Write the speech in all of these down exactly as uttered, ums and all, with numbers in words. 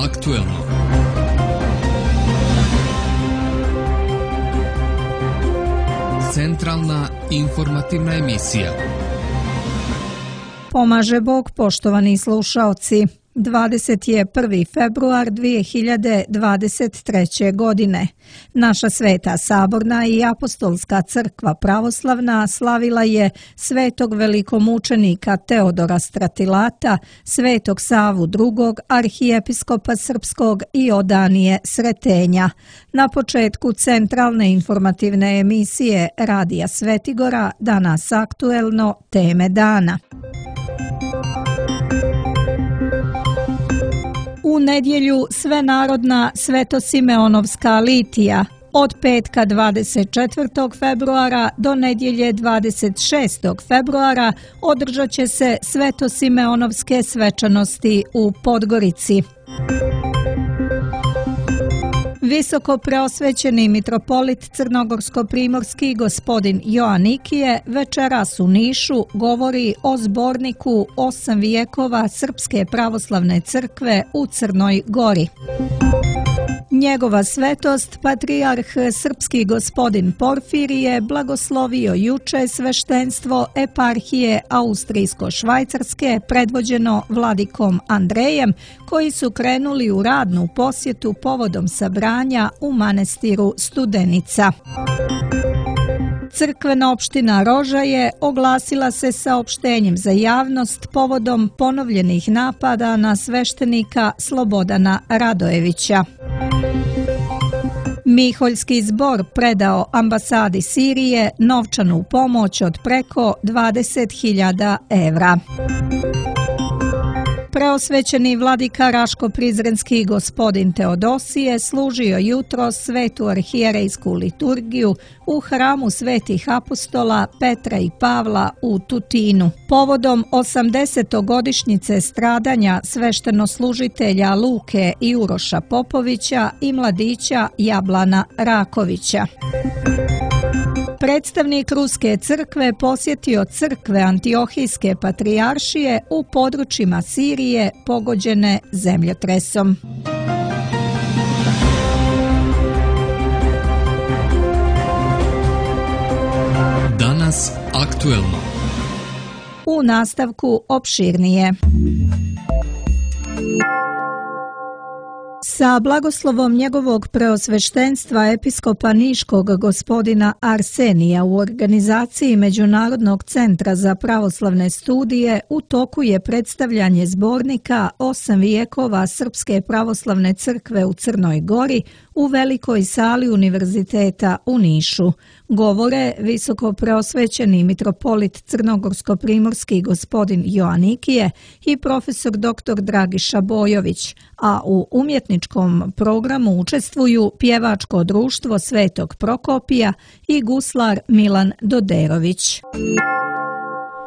aktuelno. Centralna informativna emisija. Pomaže Bog, poštovani slušaoci. dvadeset prvi februar dvije hiljade dvadeset treće. godine. Naša Sveta Saborna i Apostolska crkva pravoslavna slavila je svetog velikomučenika Teodora Stratilata, svetog Savu drugog, arhijepiskopa srpskog i Odanije Sretenja. Na početku centralne informativne emisije Radija Svetigora, danas aktuelno, teme dana. U nedjelju svenarodna Svetosimeonovska litija. Od petka dvadeset četvrtog februara do nedjelje dvadeset šestog februara održat će se Svetosimeonovske svečanosti u Podgorici. Visoko preosvećeni mitropolit crnogorsko-primorski gospodin Joanikije večeras u Nišu govori o zborniku osam vijekova Srpske pravoslavne crkve u Crnoj Gori. Njegova svetost, patrijarh srpski gospodin Porfirije, blagoslovio juče sveštenstvo eparhije Austrijsko-švajcarske predvođeno vladikom Andrejem, koji su krenuli u radnu posjetu povodom sabranja u manastiru Studenica. Crkvena opština Rožaje oglasila se saopštenjem za javnost povodom ponovljenih napada na sveštenika Slobodana Radojevića. Miholjski zbor predao ambasadi Sirije novčanu pomoć od preko dvadeset hiljada evra. Preosvećeni vladika Raško-Prizrenski gospodin Teodosije služio jutro svetu arhijerejsku liturgiju u hramu svetih apostola Petra i Pavla u Tutinu. Povodom osamdesetogodišnjice stradanja sveštenoslužitelja Luke i Uroša Popovića i mladića Jablana Rakovića. Predstavnik Ruske crkve posjetio crkve Antiohijske patrijaršije u područjima Sirije pogođene zemljotresom. Danas aktuelno. U nastavku opširnije. Sa blagoslovom njegovog preosveštenstva episkopa Niškog gospodina Arsenija u organizaciji Međunarodnog centra za pravoslavne studije u toku je predstavljanje zbornika osam vijekova Srpske pravoslavne crkve u Crnoj Gori u velikoj sali Univerziteta u Nišu. Govore visoko preosvećeni mitropolit crnogorsko-primorski gospodin Joanikije i profesor doktor Dragiša Bojović, a u umjetničkom programu učestvuju pjevačko društvo Svetog Prokopija i guslar Milan Doderović.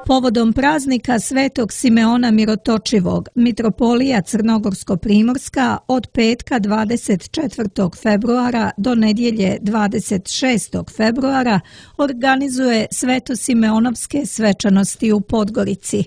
Povodom praznika Svetog Simeona Mirotočivog, mitropolija Crnogorsko-primorska od petka dvadeset četvrtog februara do nedjelje dvadeset šestog februara organizuje Svetosimeonovske svečanosti u Podgorici.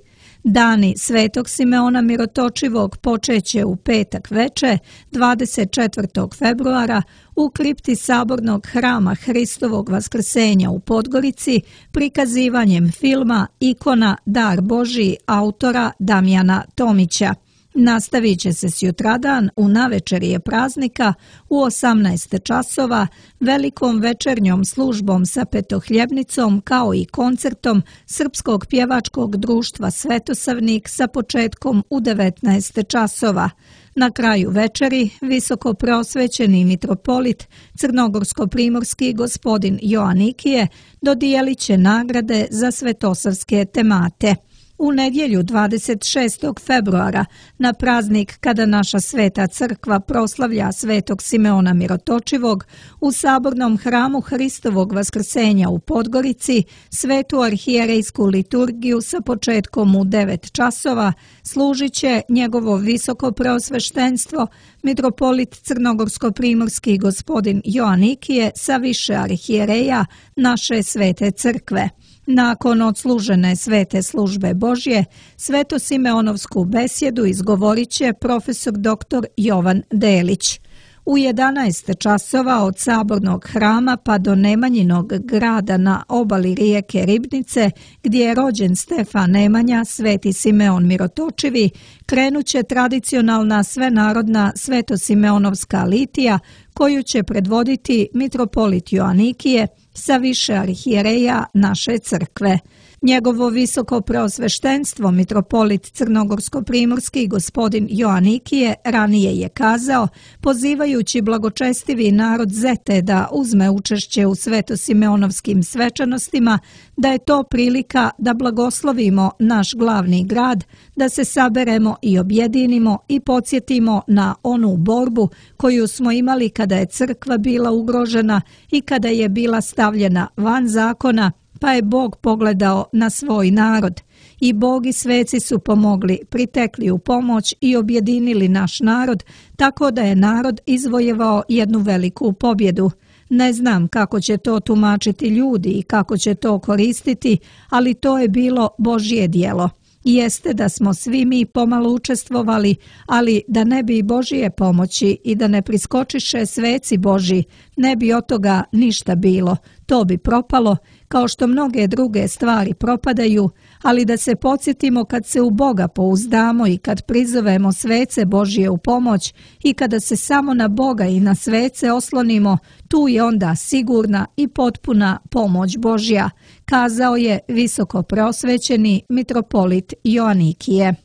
Dani Svetog Simeona Mirotočivog počeće u petak veče, dvadeset četvrtog februara, u kripti Sabornog hrama Hristovog vaskrsenja u Podgorici prikazivanjem filma Ikona Dar Božji autora Damjana Tomića. Nastavit će se sutradan u navečerje praznika u osamnaest časova velikom večernjom službom sa petohljebnicom kao i koncertom Srpskog pjevačkog društva Svetosavnik sa početkom u devetnaest časova. Na kraju večeri visoko preosvećeni mitropolit crnogorsko-primorski gospodin Joanikije dodijelit će nagrade za svetosavske temate. U nedjelju dvadeset šestog februara, na praznik kada naša Sveta crkva proslavlja Svetog Simeona Mirotočivog, u Sabornom hramu Hristovog vaskrsenja u Podgorici, svetu arhijerejsku liturgiju sa početkom u devet časova služit će njegovo visoko preosveštenstvo, mitropolit crnogorsko-primorski gospodin Joanikije sa više arhijereja naše Svete crkve. Nakon odslužene svete službe Božje, Sveto-Simeonovsku besjedu izgovorit će profesor doktor Jovan Delić. U jedanaest časova od Sabornog hrama pa do Nemanjinog grada na obali rijeke Ribnice, gdje je rođen Stefan Nemanja, Sveti Simeon Mirotočivi, krenuće tradicionalna svenarodna Sveto-Simeonovska litija, koju će predvoditi mitropolit Joanikije sa više arhijereja naše crkve. Njegovo visoko preosveštenstvo, mitropolit Crnogorsko-primorski gospodin Joanikije, ranije je kazao, pozivajući blagočestivi narod Zete da uzme učešće u Sveto-Simeonovskim svečanostima, da je to prilika da blagoslovimo naš glavni grad, da se saberemo i objedinimo i podsjetimo na onu borbu koju smo imali kada je crkva bila ugrožena i kada je bila stavljena van zakona, pa je Bog pogledao na svoj narod. I Bog i sveci su pomogli, pritekli u pomoć i objedinili naš narod, tako da je narod izvojevao jednu veliku pobjedu. Ne znam kako će to tumačiti ljudi i kako će to koristiti, ali to je bilo Božje djelo. Jeste da smo svi mi pomalo učestvovali, ali da ne bi Božje pomoći i da ne priskočiše sveci Božji, ne bi od toga ništa bilo. To bi propalo, kao što mnoge druge stvari propadaju, ali da se podsjetimo kad se u Boga pouzdamo i kad prizovemo svece Božje u pomoć i kada se samo na Boga i na svece oslonimo, tu je onda sigurna i potpuna pomoć Božja, kazao je visoko preosvećeni mitropolit Joanikije.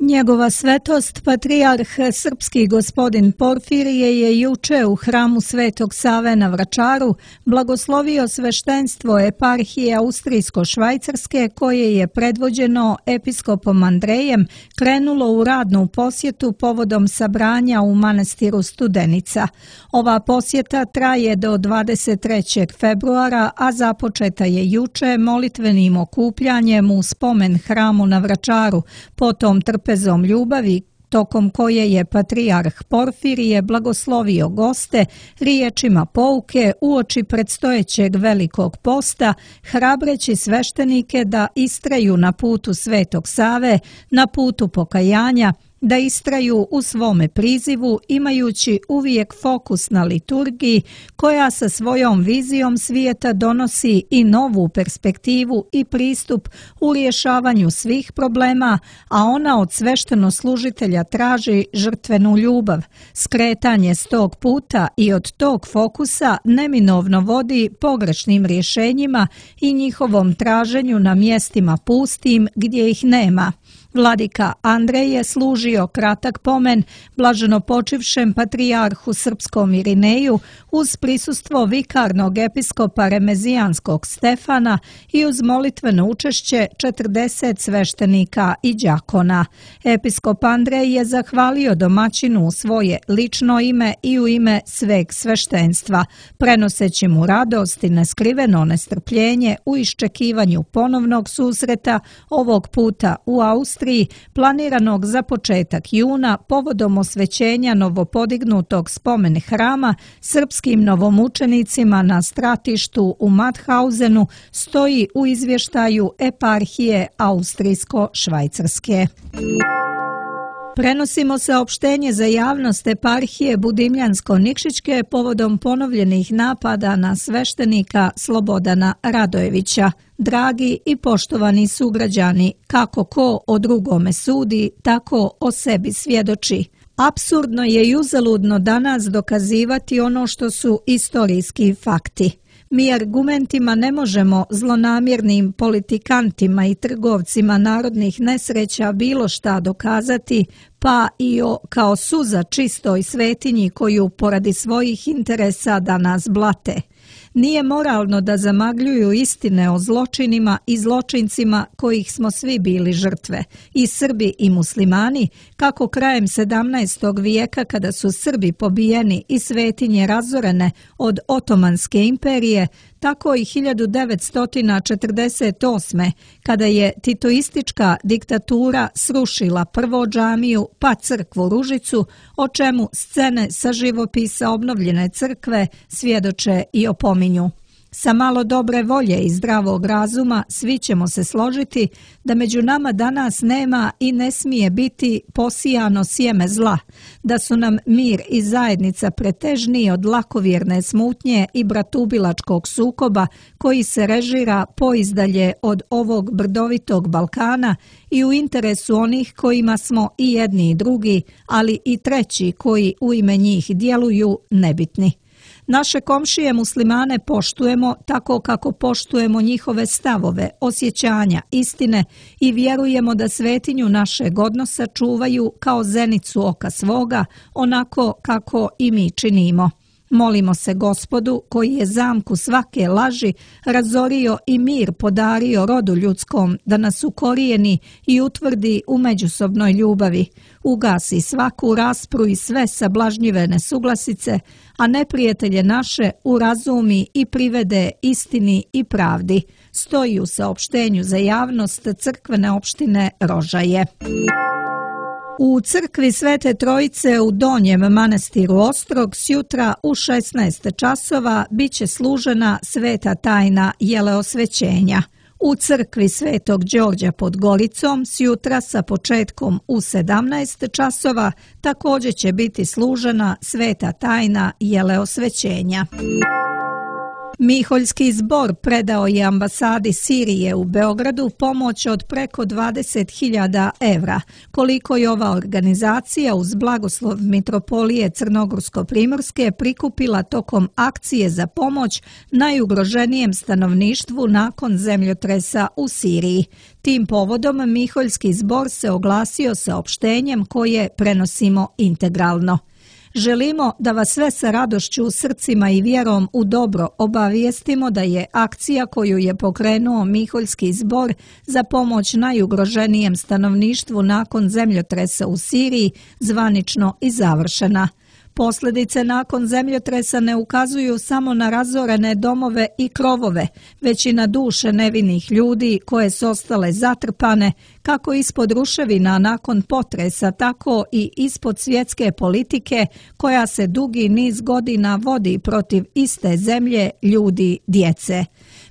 Njegova svetost, patrijarh srpski gospodin Porfirije, je juče u hramu Svetog Save na Vračaru blagoslovio sveštenstvo eparhije Austrijsko-švajcarske, koje je predvođeno episkopom Andrejem krenulo u radnu posjetu povodom sabranja u manastiru Studenica. Ova posjeta traje do dvadeset trećeg februara, a započeta je juče molitvenim okupljanjem u spomen hramu na Vračaru, potom trpezom ljubavi, tokom koje je patrijarh Porfirije blagoslovio goste riječima pouke uoči predstojećeg velikog posta, hrabreći sveštenike da istraju na putu Svetog Save, na putu pokajanja, da istraju u svome prizivu imajući uvijek fokus na liturgiji koja sa svojom vizijom svijeta donosi i novu perspektivu i pristup u rješavanju svih problema, a ona od sveštenoslужitelja traži žrtvenu ljubav. Skretanje s tog puta i od tog fokusa neminovno vodi pogrešnim rješenjima i njihovom traženju na mjestima pustim gdje ih nema. Vladika Andrej je služio kratak pomen blaženopočivšem patrijarhu srpskom Irineju uz prisustvo vikarnog episkopa Remezijanskog Stefana i uz molitveno učešće četrdeset sveštenika i đakona. Episkop Andrej je zahvalio domaćinu u svoje lično ime i u ime sveg sveštenstva, prenoseći mu radost i neskriveno nestrpljenje u iščekivanju ponovnog susreta, ovog puta u Austriji, planiranog za početak juna povodom osvećenja novopodignutog spomen hrama srpskim novomučenicima na stratištu u Mauthausenu, stoji u izvještaju eparhije Austrijsko-švajcarske. Prenosimo saopštenje za javnost eparhije Budimljansko-Nikšićke povodom ponovljenih napada na sveštenika Slobodana Radojevića. Dragi i poštovani sugrađani, kako ko o drugome sudi, tako o sebi svjedoči. Apsurdno je i uzaludno danas dokazivati ono što su istorijski fakti. Mi argumentima ne možemo zlonamjernim politikantima i trgovcima narodnih nesreća bilo šta dokazati, pa i o kao suza čistoj svetinji koju poradi svojih interesa da nas blate. Nije moralno da zamagljuju istine o zločinima i zločincima kojih smo svi bili žrtve, i Srbi i muslimani, kako krajem sedamnaestog vijeka kada su Srbi pobijeni i svetinje razorene od Otomanske imperije, tako i hiljadu devetsto četrdeset osme kada je titoistička diktatura srušila prvo džamiju pa crkvu Ružicu, o čemu scene sa živopisa obnovljene crkve svjedoče i opominju. Sa malo dobre volje i zdravog razuma svi ćemo se složiti da među nama danas nema i ne smije biti posijano sjeme zla, da su nam mir i zajednica pretežniji od lakovjerne smutnje i bratubilačkog sukoba koji se režira poizdalje od ovog brdovitog Balkana i u interesu onih kojima smo i jedni i drugi, ali i treći koji u ime njih djeluju nebitni. Naše komšije muslimane poštujemo tako kako poštujemo njihove stavove, osjećanja, istine i vjerujemo da svetinju našeg odnosa čuvaju kao zenicu oka svoga, onako kako i mi činimo. Molimo se Gospodu koji je zamku svake laži razorio i mir podario rodu ljudskom da nas ukorijeni i utvrdi u međusobnoj ljubavi, ugasi svaku raspru i sve sablažnjive nesuglasice, a neprijatelje naše urazumi i privede istini i pravdi. Stoji u saopštenju za javnost crkvene opštine Rožaje. U crkvi Svete Trojice u Donjem manastiru Ostrog sjutra u šesnaest časova biće služena sveta tajna jeleosvećenja. U crkvi Svetog Đorđa pod Goricom sjutra sa početkom u sedamnaest časova također će biti služena sveta tajna jeleosvećenja. Miholjski zbor predao je ambasadi Sirije u Beogradu pomoć od preko dvadeset hiljada evra, koliko je ova organizacija uz blagoslov Mitropolije Crnogorsko-Primorske prikupila tokom akcije za pomoć najugroženijem stanovništvu nakon zemljotresa u Siriji. Tim povodom Miholjski zbor se oglasio saopštenjem koje prenosimo integralno. Želimo da vas sve sa radošću u srcima i vjerom u dobro obavijestimo da je akcija koju je pokrenuo Miholjski zbor za pomoć najugroženijem stanovništvu nakon zemljotresa u Siriji zvanično i završena. Posljedice nakon zemljotresa ne ukazuju samo na razorene domove i krovove, već i na duše nevinih ljudi koje su ostale zatrpane, kako ispod ruševina nakon potresa, tako i ispod svjetske politike koja se dugi niz godina vodi protiv iste zemlje, ljudi, djece.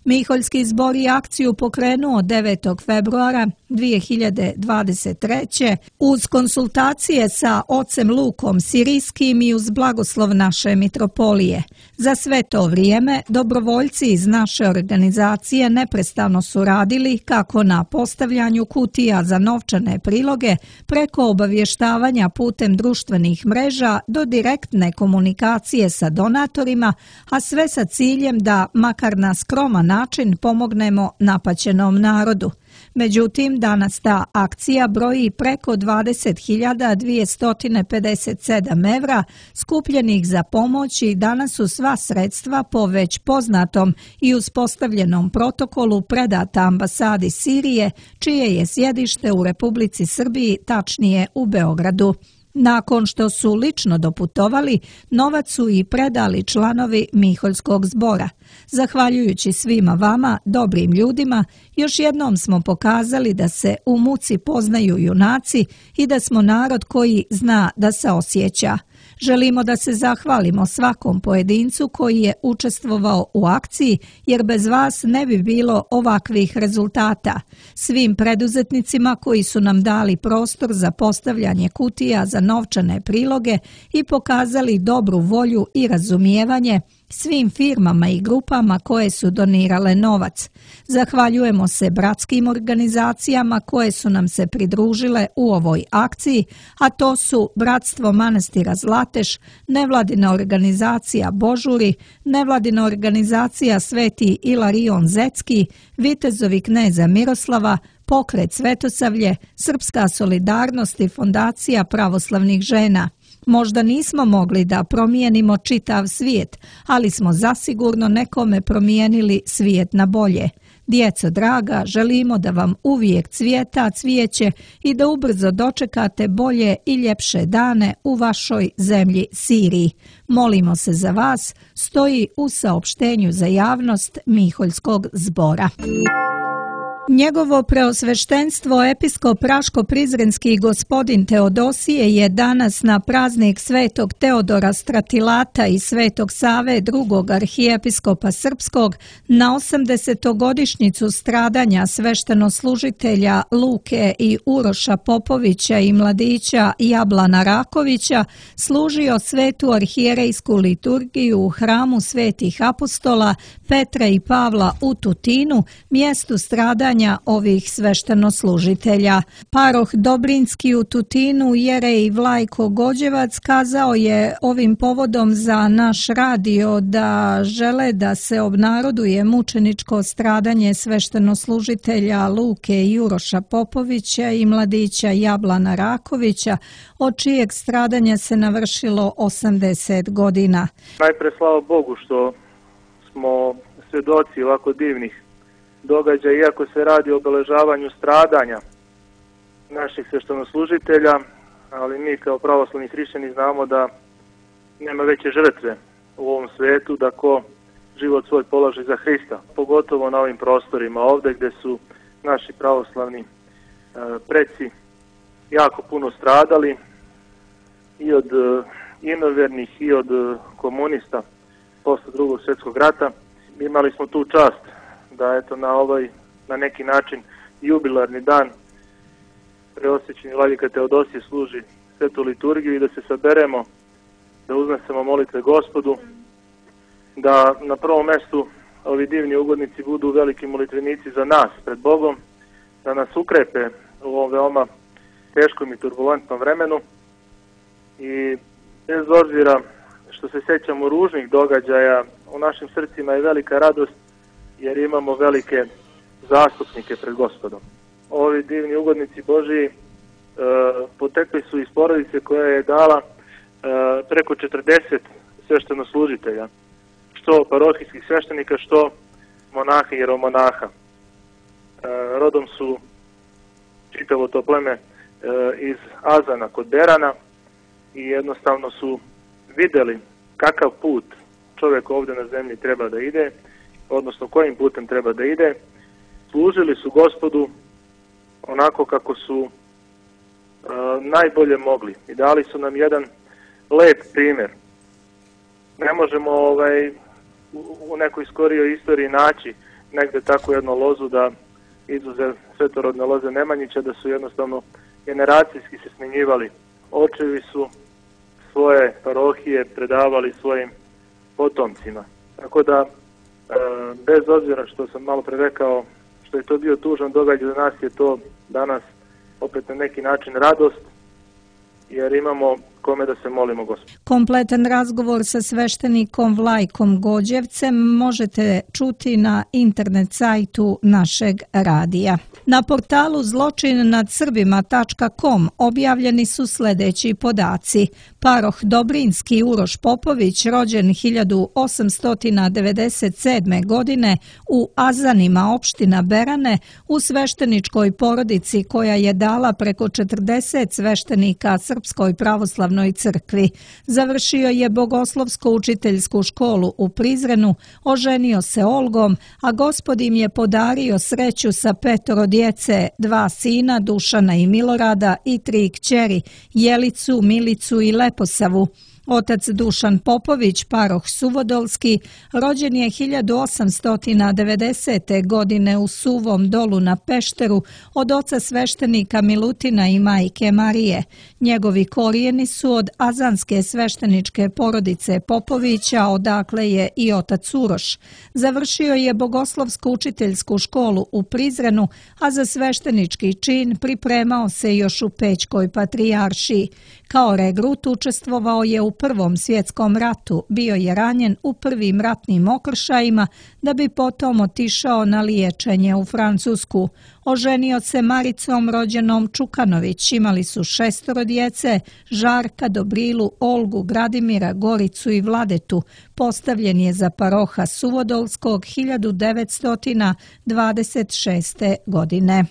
Miholjski zbor je akciju pokrenuo devetog februara dvije hiljade dvadeset treće uz konsultacije sa ocem Lukom Sirijskim i uz blagoslov naše mitropolije. Za sve to vrijeme dobrovoljci iz naše organizacije neprestano su radili kako na postavljanju kutija za novčane priloge preko obavještavanja putem društvenih mreža do direktne komunikacije sa donatorima, a sve sa ciljem da makar na skroman način pomognemo napaćenom narodu. Međutim, danas ta akcija broji preko dvadeset hiljada dvjesto pedeset sedam evra skupljenih za pomoć i danas su sva sredstva po već poznatom i uspostavljenom protokolu predata ambasadi Sirije, čije je sjedište u Republici Srbiji, tačnije u Beogradu. Nakon što su lično doputovali, novac su i predali članovi Miholjskog zbora. Zahvaljujući svima vama, dobrim ljudima, još jednom smo pokazali da se u muci poznaju junaci i da smo narod koji zna da se osjeća. Želimo da se zahvalimo svakom pojedincu koji je učestvovao u akciji, jer bez vas ne bi bilo ovakvih rezultata. Svim preduzetnicima koji su nam dali prostor za postavljanje kutija za novčane priloge i pokazali dobru volju i razumijevanje, svim firmama i grupama koje su donirale novac. Zahvaljujemo se bratskim organizacijama koje su nam se pridružile u ovoj akciji, a to su Bratstvo manastira Zlateš, nevladina organizacija Božuri, nevladina organizacija Sveti Ilarion Zetski, Vitezovi kneza Miroslava, Pokret Svetosavlje, Srpska solidarnost i Fondacija pravoslavnih žena. Možda nismo mogli da promijenimo čitav svijet, ali smo zasigurno nekome promijenili svijet na bolje. Djeco draga, želimo da vam uvijek cvijeta cvijeće i da ubrzo dočekate bolje i ljepše dane u vašoj zemlji Siriji. Molimo se za vas, stoji u saopštenju za javnost Miholjskog zbora. Njegovo preosveštenstvo episkop Raško-Prizrenski gospodin Teodosije je danas na praznik svetog Teodora Stratilata i svetog Save drugog arhijepiskopa srpskog na osamdesetogodišnjicu stradanja sveštenoslužitelja Luke i Uroša Popovića i mladića Jablana Rakovića služio svetu arhijerejsku liturgiju u hramu svetih apostola Petra i Pavla u Tutinu, mjestu stradanja ovih sveštenoslužitelja. Paroh Dobrinski u Tutinu, jerej Vlajko Gođevac, kazao je ovim povodom za naš radio da žele da se obnaroduje mučeničko stradanje sveštenoslužitelja Luke i Uroša Popovića i mladića Jablana Rakovića, od čijeg stradanja se navršilo osamdeset godina. Najpre slava Bogu što smo svjedoci ovako divnih događaja, iako se radi o obeležavanju stradanja naših sveštenoslužitelja, ali mi kao pravoslavni hrišćani znamo da nema veće žrtve u ovom svetu da ko život svoj položi za Hrista, pogotovo na ovim prostorima ovdje gdje su naši pravoslavni e, preci jako puno stradali i od e, inovernih i od e, komunista posle drugog svjetskog rata. Imali smo tu čast da eto na ovaj na neki način jubilarni dan preosvećeni vladika Teodosije služi svetu liturgiju i da se saberemo, da uznesemo molitve Gospodu, da na prvom mjestu ovi divni ugodnici budu veliki molitvenici za nas pred Bogom, da nas ukrepe u ovom veoma teškom i turbulentnom vremenu i bez obzira što se sjećamo ružnih događaja, u našim srcima je velika radost jer imamo velike zastupnike pred Gospodom. Ovi divni ugodnici Božiji e, potekli su iz porodice koja je dala e, preko četrdeset sveštenoslužitelja, što parohijskih sveštenika, što monaha i jeromonaha. E, rodom su čitavo to pleme e, iz Azana kod Berana i jednostavno su vidjeli kakav put čovjek ovdje na zemlji treba da ide, odnosno kojim putem treba da ide. Služili su Gospodu onako kako su e, najbolje mogli i dali su nam jedan lep primjer. Ne možemo ovaj, u, u nekoj skorijoj istoriji naći negdje takvu jednu lozu da izuzev svetorodne loze Nemanjića, da su jednostavno generacijski se smenjivali. Očevi su svoje parohije predavali svojim potomcima. Tako da, e, bez obzira što sam malo pre rekao, što je to bio tužan događaj, za nas je to danas opet na neki način radost, jer imamo kome da se molimo Gospodu. Kompletan razgovor sa sveštenikom Vlajkom Gođevcem možete čuti na internet sajtu našeg radija. Na portalu zločin nad srbima tačka com objavljeni su sljedeći podaci. Paroh Dobrinski Uroš Popović, rođen hiljadu osamsto devedeset sedme. godine u Azanima, opština Berane, u svešteničkoj porodici koja je dala preko četrdeset sveštenika Srpskoj pravoslavnoj crkvi. Završio je bogoslovsko-učiteljsku školu u Prizrenu, oženio se Olgom, a Gospod im je podario sreću sa petoro djece, dva sina, Dušana i Milorada, i tri kćeri, Jelicu, Milicu i Leposavu. Otac Dušan Popović, paroh Suvodolski, rođen je hiljadu osamsto devedesete. godine u Suvom Dolu na Pešteru od oca sveštenika Milutina i majke Marije. Njegovi korijeni su od azanske svešteničke porodice Popovića, odakle je i otac Uroš. Završio je bogoslovsko-učiteljsku školu u Prizrenu, a za sveštenički čin pripremao se još u Pećkoj patrijaršiji. Kao regrut učestvovao je u Prvom svjetskom ratu, bio je ranjen u prvim ratnim okršajima da bi potom otišao na liječenje u Francusku. Oženio se Maricom rođenom Čukanović, imali su šestoro djece, Žarka, Dobrilu, Olgu, Gradimira, Goricu i Vladetu. Postavljen je za paroha Suvodolskog hiljadu devetsto dvadeset šeste. godine.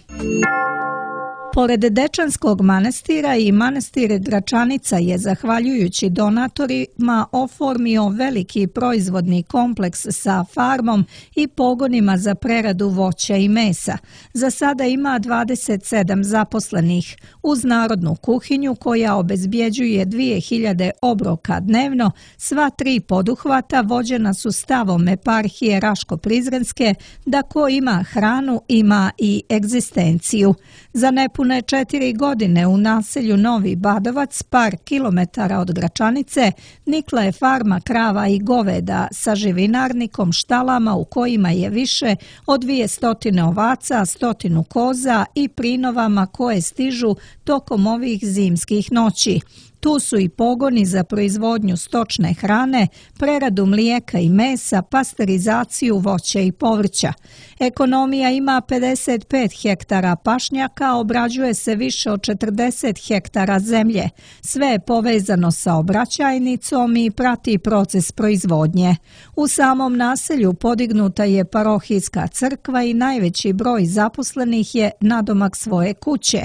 Pored Dečanskog manastira i manastir Gračanica je, zahvaljujući donatorima, oformio veliki proizvodni kompleks sa farmom i pogonima za preradu voća i mesa. Za sada ima dvadeset sedam zaposlenih. Uz narodnu kuhinju koja obezbjeđuje dvije hiljade obroka dnevno, sva tri poduhvata vođena su stavom eparhije Raško-Prizrenske da ko ima hranu ima i egzistenciju. Za nepune četiri godine u naselju Novi Badovac, par kilometara od Gračanice, nikla je farma krava i goveda sa živinarnikom, štalama u kojima je više od dvije stotine ovaca, stotinu koza i prinovama koje stižu tokom ovih zimskih noći. Tu su i pogoni za proizvodnju stočne hrane, preradu mlijeka i mesa, pasterizaciju voća i povrća. Ekonomija ima pedeset pet hektara pašnjaka, obrađuje se više od četrdeset hektara zemlje. Sve je povezano sa obraćajnicom i prati proces proizvodnje. U samom naselju podignuta je parohijska crkva i najveći broj zaposlenih je nadomak svoje kuće.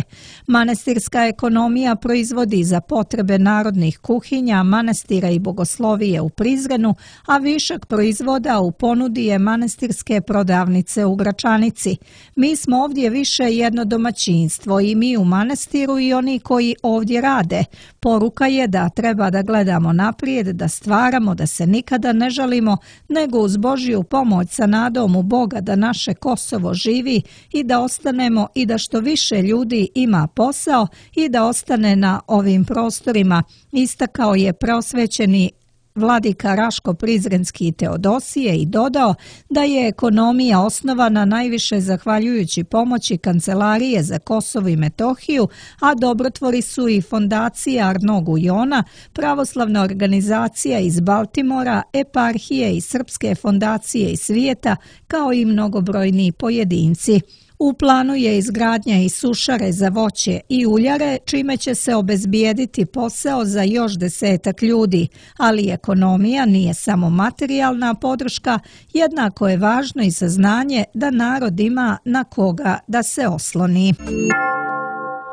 Manastirska ekonomija proizvodi za potrebe narodnih kuhinja, manastira i bogoslovije u Prizrenu, a višak proizvoda u ponudi je manastirske prodavnice u Gračanici. Mi smo ovdje više jedno domaćinstvo, i mi u manastiru i oni koji ovdje rade. Poruka je da treba da gledamo naprijed, da stvaramo, da se nikada ne žalimo, nego uz Božju pomoć sa nadom u Boga da naše Kosovo živi i da ostanemo i da što više ljudi ima posao i da ostane na ovim prostorima, istakao je preosvećeni vladika Raško-Prizrenski Teodosije i dodao da je ekonomija osnovana najviše zahvaljujući pomoći Kancelarije za Kosovo i Metohiju, a dobrotvori su i fondacija Arno Gujona, pravoslavna organizacija iz Baltimora, eparhije i srpske fondacije iz svijeta, kao i mnogobrojni pojedinci. U planu je izgradnja i sušare za voće i uljare, čime će se obezbijediti posao za još desetak ljudi, ali ekonomija nije samo materijalna podrška, jednako je važno i saznanje da narod ima na koga da se osloni.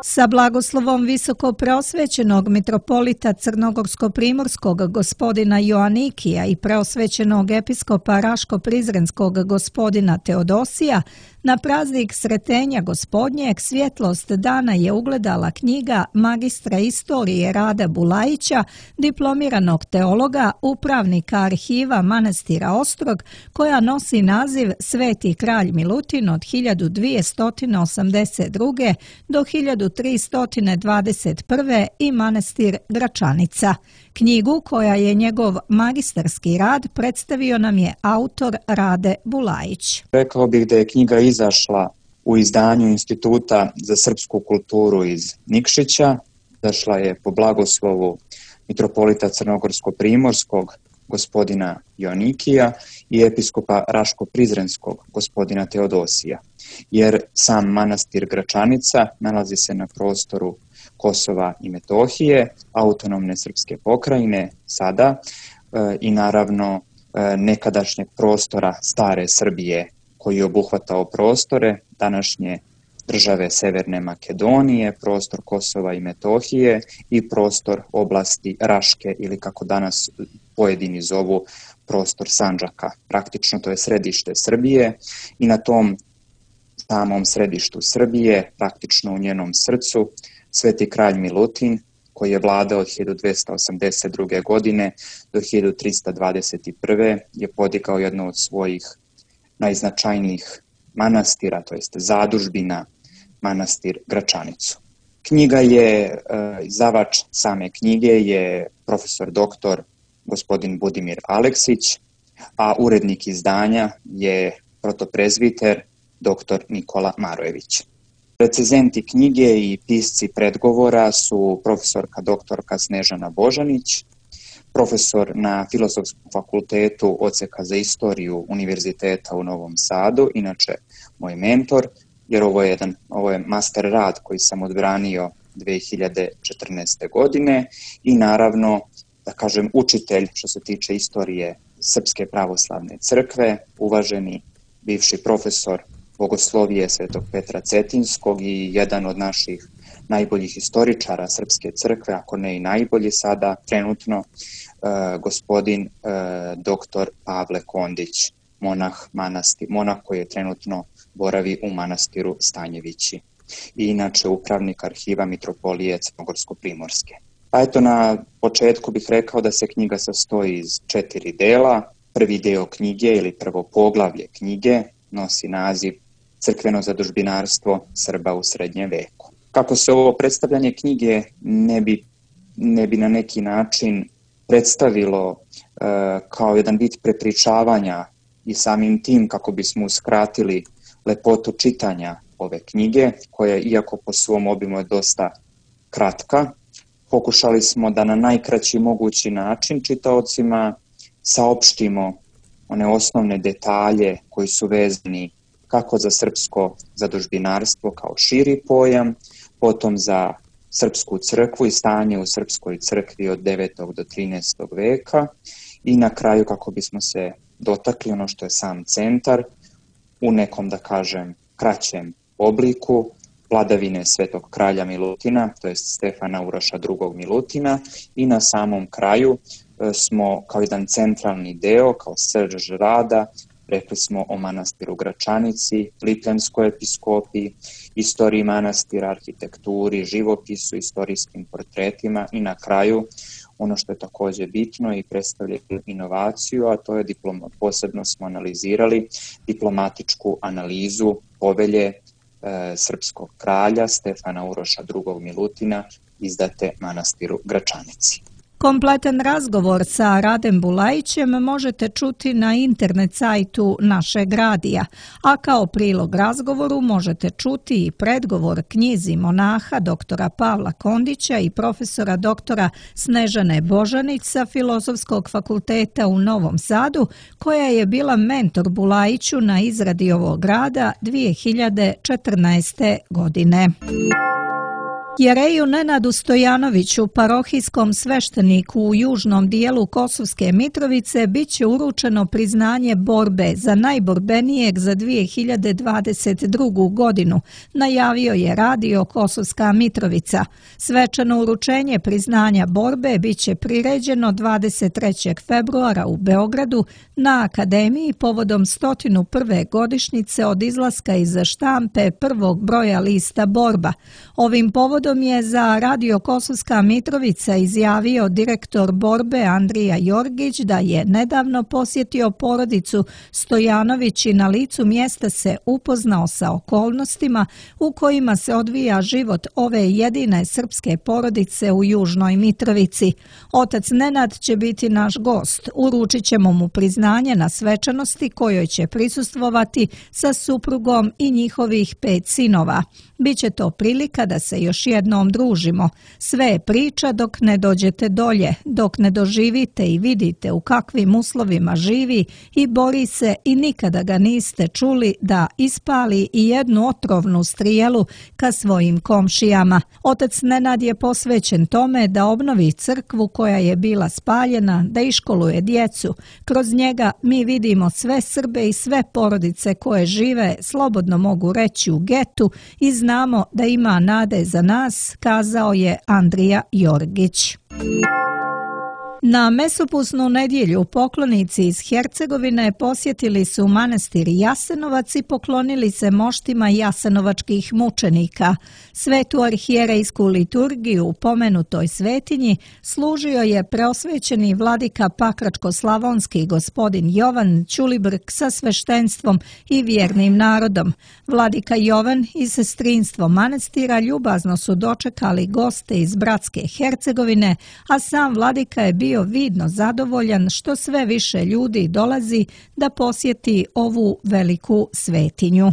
Sa blagoslovom visoko preosvećenog mitropolita Crnogorsko-primorskog gospodina Joanikija i preosvećenog episkopa Raško-Prizrenskog gospodina Teodosija, na praznik Sretenja Gospodnjeg svjetlost dana je ugledala knjiga magistra istorije Rada Bulajića, diplomiranog teologa, upravnika arhiva manastira Ostrog, koja nosi naziv Sveti kralj Milutin od hiljadu dvjesto osamdeset druge. do hiljadu tristo dvadeset prve. i manastir Gračanica. Knjigu, koja je njegov magistarski rad, predstavio nam je autor Rade Bulajić. Rekao bih da je knjiga izašla u izdanju Instituta za srpsku kulturu iz Nikšića. Izašla je po blagoslovu mitropolita Crnogorsko-primorskog gospodina Joanikija i episkopa Raško-Prizrenskog gospodina Teodosija, jer sam manastir Gračanica nalazi se na prostoru Kosova i Metohije, autonomne srpske pokrajine sada e, i naravno e, nekadašnjeg prostora stare Srbije, koji je obuhvatao prostore današnje države Severne Makedonije, prostor Kosova i Metohije i prostor oblasti Raške, ili kako danas pojedini zovu prostor Sandžaka. Praktično to je središte Srbije i na tom samom središtu Srbije, praktično u njenom srcu, Sveti kralj Milutin, koji je vladao od hiljadu dvjesto osamdeset druge. godine do hiljadu tristo dvadeset prve. je podigao jedno od svojih najznačajnijih manastira, to jest zadužbina, manastir Gračanicu. Knjiga je, izdavač same knjige je profesor doktor gospodin Budimir Aleksić, a urednik izdanja je protoprezbiter doktor Nikola Marojević. Recenzenti knjige i pisci predgovora su profesorka doktorka Snežana Božanić, profesor na Filozofskom fakultetu Odseka za istoriju Univerziteta u Novom Sadu, inače moj mentor, jer ovo je, jedan, ovo je master rad koji sam odbranio dvije hiljade četrnaeste. godine i naravno, da kažem, učitelj što se tiče istorije Srpske pravoslavne crkve, uvaženi bivši profesor bogoslovije Svetog Petra Cetinskog i jedan od naših najboljih istoričara Srpske crkve, ako ne i najbolji sada trenutno, e, gospodin e, doktor Pavle Kondić, monah, manasti, monah koji je trenutno boravi u manastiru Stanjevići i inače upravnik arhiva Mitropolije Crnogorsko-primorske. Pa eto, na početku bih rekao da se knjiga sastoji iz četiri dela. Prvi deo knjige ili prvo poglavlje knjige nosi naziv Crkveno zadužbinarstvo Srba u srednjem veku. Kako se ovo predstavljanje knjige ne bi, ne bi na neki način predstavilo e, kao jedan vid prepričavanja i samim tim kako bismo uskratili lepotu čitanja ove knjige, koja iako po svom obimu je dosta kratka, pokušali smo da na najkraći mogući način čitaocima saopštimo one osnovne detalje koji su vezani kako za srpsko zadužbinarstvo kao širi pojam, potom za srpsku crkvu i stanje u srpskoj crkvi od devetog do trinaestog veka i na kraju kako bismo se dotakli ono što je sam centar u nekom, da kažem, kraćem obliku vladavine Svetog kralja Milutina, to je Stefana Uroša drugog Milutina, i na samom kraju smo kao jedan centralni deo, kao srž rada, rekli smo o manastiru Gračanici, Lipljanskoj episkopiji, istoriji manastira, arhitekturi, živopisu, istorijskim portretima i na kraju ono što je također bitno i predstavlja inovaciju, a to je diploma, posebno smo analizirali diplomatičku analizu povelje e, srpskog kralja Stefana Uroša drugog Milutina izdate manastiru Gračanici. Kompletan razgovor sa Radem Bulajićem možete čuti na internet sajtu našeg radija, a kao prilog razgovoru možete čuti i predgovor knjizi monaha doktora Pavla Kondića i profesora doktora Snežane Božanić sa Filozofskog fakulteta u Novom Sadu, koja je bila mentor Bulajiću na izradi ovog rada dvije hiljade četrnaeste. godine. Jereju Nenadu Stojanoviću, parohijskom svešteniku u južnom dijelu Kosovske Mitrovice, bit će uručeno priznanje borbe za najborbenijeg za dvije hiljade dvadeset drugu. godinu, najavio je radio Kosovska Mitrovica. Svečano uručenje priznanja borbe bit će priređeno dvadeset trećeg februara u Beogradu na Akademiji povodom sto prve godišnjice od izlaska iz štampe prvog broja lista Borba. Ovim povodom je za radio Kosovska Mitrovica izjavio direktor borbe Andrija Jorgić da je nedavno posjetio porodicu Stojanović i na licu mjesta se upoznao sa okolnostima u kojima se odvija život ove jedine srpske porodice u Južnoj Mitrovici. Otac Nenad će biti naš gost. Uručit ćemo mu priznanje na svečanosti kojoj će prisustvovati sa suprugom i njihovih pet sinova. Biće to prilika da se još jednom družimo. Sve je priča dok ne dođete dolje, dok ne doživite i vidite u kakvim uslovima živi i bori se i nikada ga niste čuli da ispali i jednu otrovnu strijelu ka svojim komšijama. Otac Nenad je posvećen tome da obnovi crkvu koja je bila spaljena, da iškoluje djecu. Kroz njega mi vidimo sve Srbe i sve porodice koje žive, slobodno mogu reći, u getu i znamo da ima nade za nas, kazao je Andrija Jorgić. Na mesopusnu nedjelju poklonici iz Hercegovine posjetili su manastir Jasenovac i poklonili se moštima jasenovačkih mučenika. Svetu arhijerejsku liturgiju u pomenutoj svetinji služio je preosvećeni vladika Pakračko-slavonski gospodin Jovan Ćulibrk sa sveštenstvom i vjernim narodom. Vladika Jovan i sestrinstvo manastira ljubazno su dočekali goste iz bratske Hercegovine, a sam vladika je bio bio vidno zadovoljan što sve više ljudi dolazi da posjeti ovu veliku svetinju.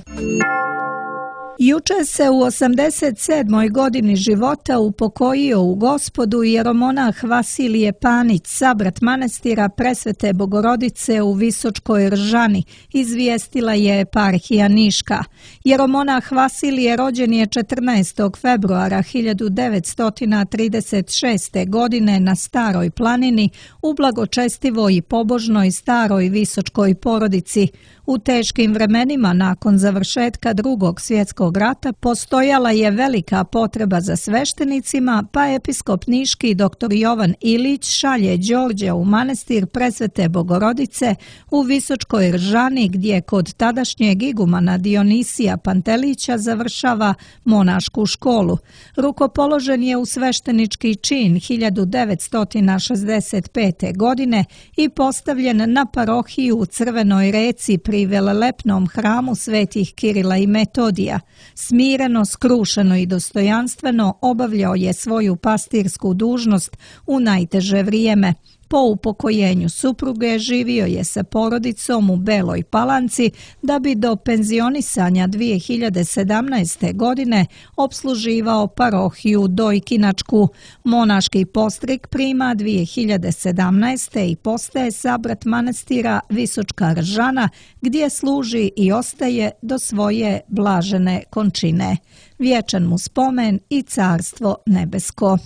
Juče se u osamdeset sedmoj godini života upokojio u Gospodu jeromonah Vasilije Panić, sabrat manastira Presvete Bogorodice u Visočkoj Ržani, izvijestila je eparhija Niška. Jeromonah Vasilije rođen je četrnaestog februara hiljadu devetsto trideset šeste. godine na Staroj planini u blagočestivoj i pobožnoj staroj visočkoj porodici. U teškim vremenima nakon završetka Drugog svjetskog rata postojala je velika potreba za sveštenicima, pa episkop niški dr. Jovan Ilić šalje Đorđa u manastir Presvete Bogorodice u Visočkoj Ržani, gdje kod tadašnjeg igumana Dionisija Pantelića završava monašku školu. Rukopoložen je u sveštenički čin hiljadu devetsto šezdeset pete. godine i postavljen na parohiju u Crvenoj reci pri velelepnom hramu svetih Kirila i Metodija. Smireno, skrušeno i dostojanstveno obavljao je svoju pastirsku dužnost u najteže vrijeme. Po upokojenju supruge živio je sa porodicom u Beloj Palanci da bi do penzionisanja dvije hiljade sedamnaeste. godine opsluživao parohiju Dojkinačku. Monaški postrig prima dvije hiljade sedamnaeste. i postaje sabrat manastira Visočka Ržana, gdje služi i ostaje do svoje blažene končine. Vječan mu spomen i carstvo nebesko.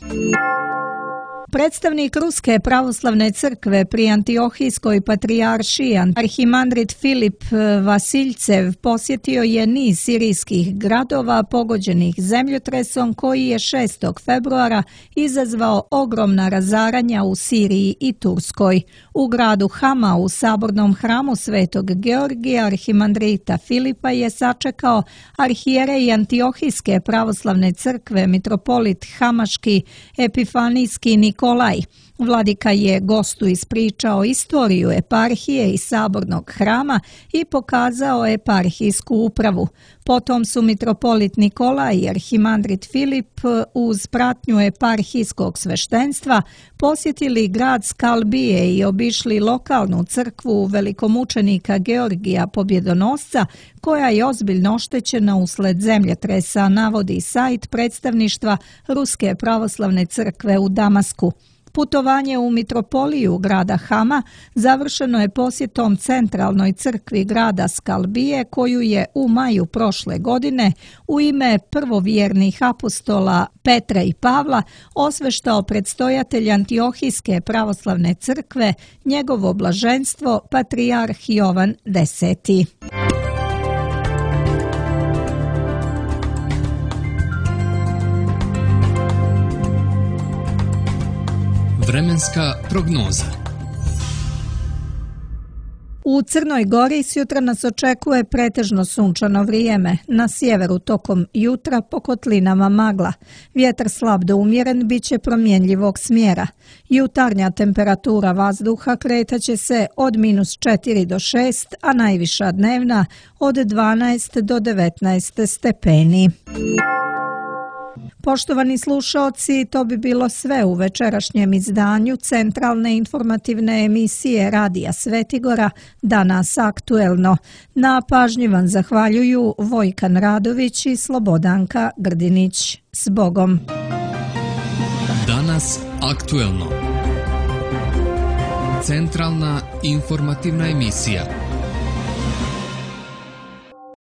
Predstavnik Ruske pravoslavne crkve pri Antiohijskoj patrijaršiji arhimandrit Filip Vasiljcev posjetio je niz sirijskih gradova pogođenih zemljotresom koji je šestog februara izazvao ogromna razaranja u Siriji i Turskoj. U gradu Hama u sabornom hramu Svetog Georgija arhimandrita Filipa je sačekao arhijerej Antiohijske pravoslavne crkve mitropolit Hamaški Epifanijski Nikolaj. Vladika je gostu ispričao istoriju eparhije i sabornog hrama i pokazao eparhijsku upravu. Potom su mitropolit Nikolaj i arhimandrit Filip uz pratnju eparhijskog sveštenstva posjetili grad Skalbije i obišli lokalnu crkvu velikomučenika Georgija Pobjedonosca, koja je ozbiljno oštećena usled zemljotresa, navodi sajt predstavništva Ruske pravoslavne crkve u Damasku. Putovanje u mitropoliju grada Hama završeno je posjetom centralnoj crkvi grada Skalbije, koju je u maju prošle godine u ime prvovjernih apostola Petra i Pavla osveštao predstojatelj Antiohijske pravoslavne crkve, njegovo blaženstvo patrijarh Jovan Deseti. Vremenska prognoza. U Crnoj Gori sutra nas očekuje pretežno sunčano vrijeme. Na sjeveru tokom jutra po kotlinama magla. Vjetar slab do umjeren bit će promjenljivog smjera. Jutarnja temperatura vazduha kretaće se od minus četiri do šest, a najviša dnevna od dvanaest do devetnaest stepeni. Poštovani slušaoci, to bi bilo sve u večerašnjem izdanju centralne informativne emisije Radija Svetigora, Danas aktuelno. Na pažnji vam zahvaljuju Vojkan Radović i Slobodanka Grdinić. S Bogom! Danas aktuelno. Centralna informativna emisija.